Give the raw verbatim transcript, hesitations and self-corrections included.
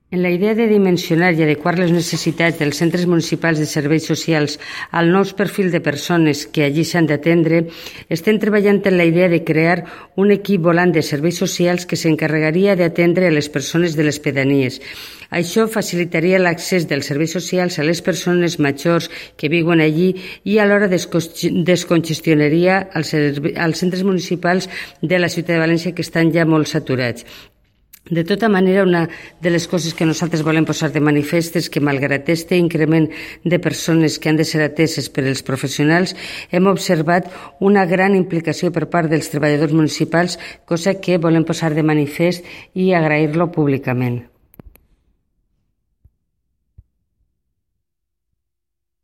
En la idea de dimensionar i adequar les necessitats dels centres municipals de serveis socials al nou perfil de persones que allí s'han d'atendre, estem treballant en la idea de crear un equip volant de serveis socials que s'encarregaria d'atendre a les persones de les pedanies. Això facilitaria l'accés dels serveis socials a les persones majors que viuen allí i alhora descongestionaria els centres municipals de la ciutat de València que estan ja molt saturats. De tota manera, una de les coses que nosaltres volem posar de manifest és que, malgrat aquest increment de persones que han de ser ateses per els professionals, hem observat una gran implicació per part dels treballadors municipals, cosa que volem posar de manifest i agrair-lo públicament.